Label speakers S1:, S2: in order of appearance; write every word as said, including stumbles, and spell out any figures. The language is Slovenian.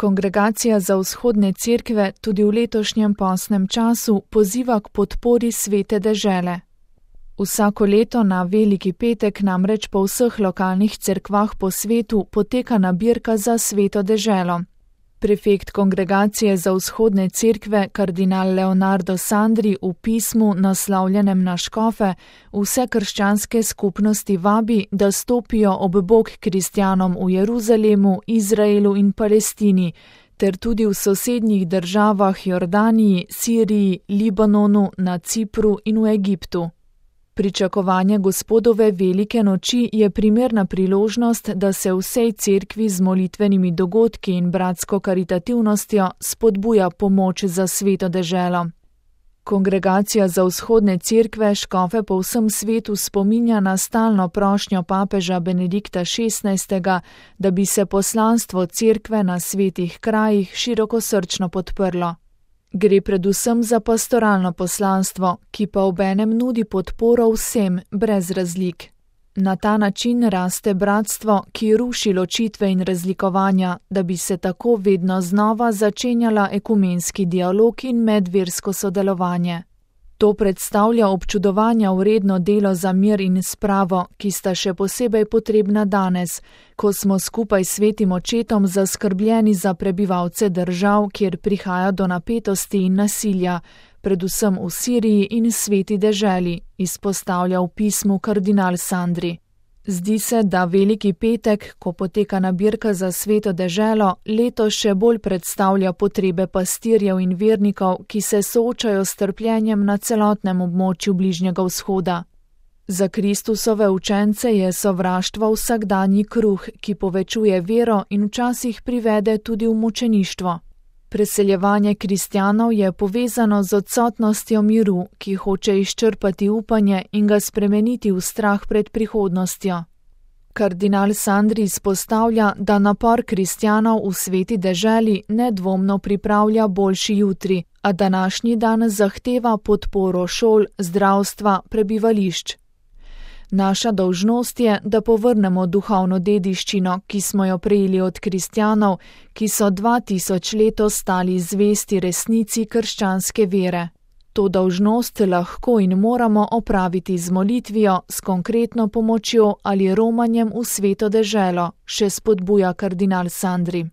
S1: Kongregacija za vzhodne cerkve tudi v letošnjem postnem času poziva k podpori svete dežele. Vsako leto na Veliki petek namreč po vseh lokalnih cerkvah po svetu poteka nabirka za sveto deželo. Prefekt Kongregacije za vzhodne cerkve, kardinal Leonardo Sandri, v pismu, naslovljenem na škofe, vse krščanske skupnosti vabi, da stopijo ob bok kristjanom v Jeruzalemu, Izraelu in Palestini, ter tudi v sosednjih državah Jordaniji, Siriji, Libanonu, na Cipru in v Egiptu. Pričakovanje Gospodove velike noči je primerna priložnost, da se vsej cerkvi z molitvenimi dogodki in bratsko karitativnostjo spodbuja pomoč za sveto deželo. Kongregacija za vzhodne cerkve škofe po vsem svetu spominja na stalno prošnjo papeža Benedikta šestnajstega, da bi se poslanstvo cerkve na svetih krajih širokosrčno podprlo. Gre predvsem za pastoralno poslanstvo, ki pa obenem nudi podporo vsem, brez razlik. Na ta način raste bratstvo, ki ruši ločitve in razlikovanja, da bi se tako vedno znova začenjala ekumenski dialog in medversko sodelovanje. To predstavlja občudovanja vredno delo za mir in spravo, ki sta še posebej potrebna danes, ko smo skupaj s svetim očetom zaskrbljeni za prebivalce držav, kjer prihaja do napetosti in nasilja, predvsem v Siriji in sveti deželi, izpostavlja v pismu kardinal Sandri. Zdi se, da Veliki petek, ko poteka nabirka za sveto deželo, letos še bolj predstavlja potrebe pastirjev in vernikov, ki se soočajo s trpljenjem na celotnem območju Bližnjega vzhoda. Za Kristusove učence je sovraštvo vsakdanji kruh, ki povečuje vero in včasih privede tudi v mučeništvo. Preseljevanje kristjanov je povezano z odsotnostjo miru, ki hoče izčrpati upanje in ga spremeniti v strah pred prihodnostjo. Kardinal Sandri izpostavlja, da napor kristjanov v sveti deželi nedvomno pripravlja boljši jutri, a današnji dan zahteva podporo šol, zdravstva, prebivališč. Naša dolžnost je, da povrnemo duhovno dediščino, ki smo jo prejeli od kristjanov, ki so dva tisoč let ostali zvesti resnici krščanske vere. To dolžnost lahko in moramo opraviti z molitvijo, s konkretno pomočjo ali romanjem v sveto deželo, še spodbuja kardinal Sandri.